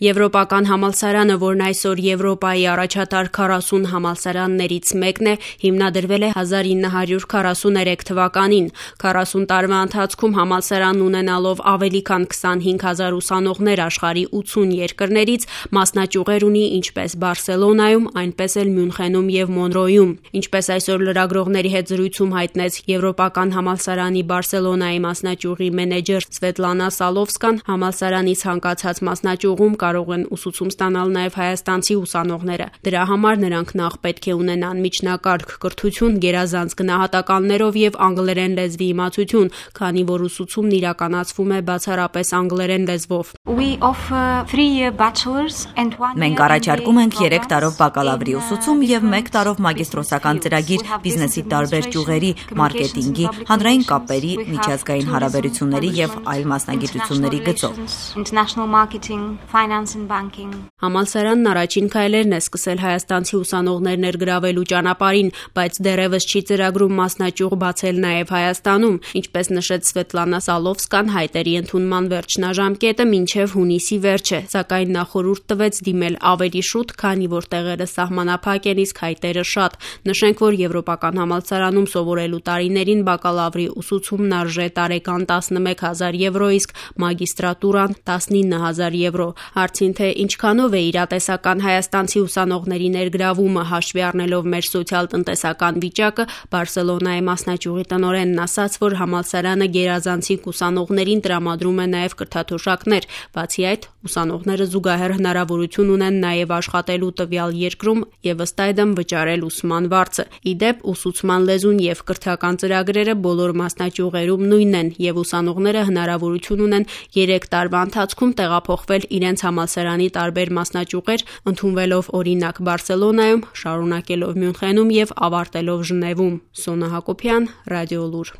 Եվրոպական համալսարանը, որն այսօր Եվրոպայի առաջատար 40 համալսարաններից մեկն է, հիմնադրվել է 1943 թվականին։ 40 տարվա ընթացքում համալսարանն ունենալով ավելի քան 25,000 ուսանողներ աշխարհի 80 երկրներից, մասնաճյուղեր ունի ինչպես Բարսելոնայում, այնպես էլ Մյունխենում եւ Մոնրոյում։ Ինչպես այսօր լրագրողների հետ զրույցում հայտնեց Եվրոպական համալսարանի Բարսելոնայի մասնաճյուղի մենեջեր Սվետլանա Սալովսկան, համալսարանի ցանկացած մասնաճյուղում կարող են ուսուցում ստանալ նաև հայաստանցի ուսանողները։ Դրա համար նրանք նախ պետք է ունենան միջնակարգ կրթություն, գերազանց գնահատականներով եւ անգլերեն լեզվի իմացություն, քանի որ ուսուցումն իրականացվում է բացառապես անգլերեն լեզվով։ Մենք առաջարկում ենք 3 տարով բակալավրի ուսուցում եւ 1 տարով մագիստրոսական ծրագիր բիզնեսի տարբեր ճյուղերի, մարքեթինգի, հանրային կապերի, միջազգային հարաբերությունների եւ այլ մասնագիտությունների գծով։ Համալսարանն առաջին քայլերն է սկսել հայաստանցի ուսանողներ ներգրավելու ճանապարհին, բայց դեռևս չի ծրագրում մասնաճյուղ բացել նաև Հայաստանում, ինչպես նշեց Սվետլանա Սալովսկան, հայտերի ընդունման վերջնաժամկետը մինչև հունիսի վերջ է, սակայն նա խորհուրդ տվեց դիմել ավելի շուտ, քանի որ տեղերը սահմանափակ են, իսկ հայտերը շատ։ Նշենք, որ Եվրոպական համալսարանում սովորելու տարիներին բակալավրի ուսուցումն արժե տարեկան 11,000 եվրո, իսկ մագիստրատուրան 19,000 եվրո։ Հարցին, թե ինչքանով է իրատեսական հայաստանցի ուսանողների ներգրավումը հաշվի առնելով մեր սոցիալ-տնտեսական վիճակը, Բարսելոնայի մասնաճյուղի տնօրենն ասաց, որ համալսարանը գերազանցիկ ուսանողներին տրամադրում է նաև կրթաթոշակներ։ Բացի այդ, ուսանողները զուգահեռ հնարավորություն ունեն նաև աշխատելու տվյալ երկրում եւ ըստ այդմ վճարել ուսման վարձը։ Ի դեպ, ուսուցման լեզուն եւ կրթական ծրագրերը բոլոր մասնաճյուղերում նույնն են եւ ուսանողները հնարավորություն ունեն 3 տարվա ընթացքում տեղափոխվել իրենց համալսարանի տարբեր մասնաճյուղեր, ընդունվելով օրինակ Բարսելոնայում, շարունակելով Մյունխենում եւ ավարտելով Ժնևում։ Սոնա Հակոբյան, Ռադիոլուր։